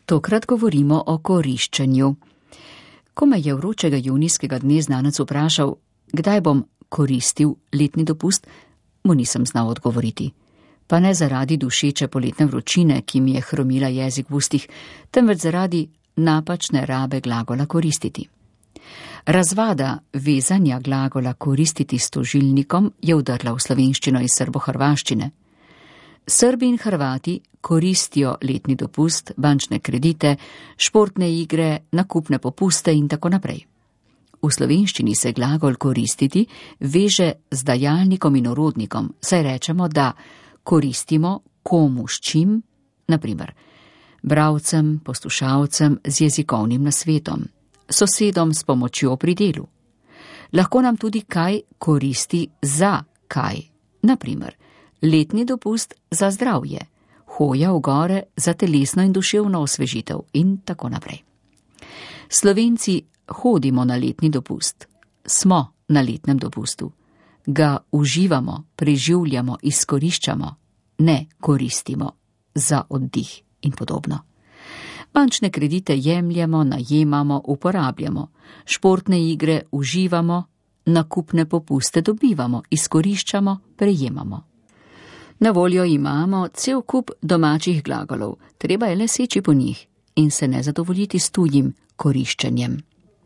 Tokrat govorimo o koriščenju. Ko me je vročega junijskega dne znanec vprašal, kdaj bom koristil letni dopust, mu nisem znal odgovoriti. Pa ne zaradi dušeče poletne vročine, ki mi je hromila jezik v ustih, temveč zaradi napačne rabe glagola koristiti. Razvada vezanja glagola koristiti s tožilnikom je vdrla v slovenščino iz srbohrvaščine. Srbi in Hrvati koristijo letni dopust, bančne kredite, športne igre, nakupne popuste in tako naprej. V slovenščini se glagol koristiti veže z dajalnikom in orodnikom, saj rečemo, da koristimo komu s čim, na primer bralcem, poslušalcem z jezikovnim nasvetom, sosedom s pomočjo pri delu. Lahko nam tudi kaj koristi za kaj, na primer letni dopust za zdravje, hoja v gore za telesno in duševno osvežitev in tako naprej. Slovenci hodimo na letni dopust, smo na letnem dopustu, ga uživamo, preživljamo, izkoriščamo, ne koristimo za oddih in podobno. Bančne kredite jemljemo, najemamo, uporabljamo, športne igre uživamo, nakupne popuste dobivamo, izkoriščamo, prejemamo. Na voljo imamo cel kup domačih glagolov, treba je le seči po njih in se ne zadovoljiti s tujim koriščenjem.